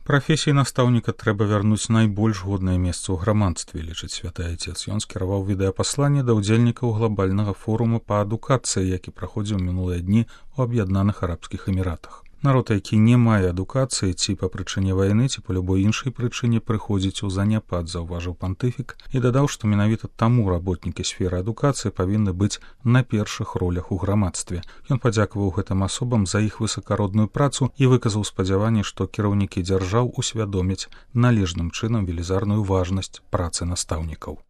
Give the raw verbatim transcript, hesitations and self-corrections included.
Прафесіі настаўніка трэба вярнуць найбольш годнае месца ў грамадстве, лічыць святы айцец. Ён скіраваў відэапасланне да ўдзельнікаў глобальнага форума па адукацыі, які праходзіў мінулыя дні ў Аб'яднаных Арабскіх Эміратах. Народ, які не мае адукацыі ці па прычыне вайны, ці па любой іншай прычыне прыходзіць у заняпад, заўважыў пантыфік і дадаў, што менавіта таму работнікі сферы адукацыі павінны быць на першых ролях у грамадстве. Ён падзякаваў гэтым асобам за іх высакародную працу і выказаў спадзяванне, што кіраўнікі дзяржаў усвядомяць належным чынам велізарную важнасць працы настаўнікаў.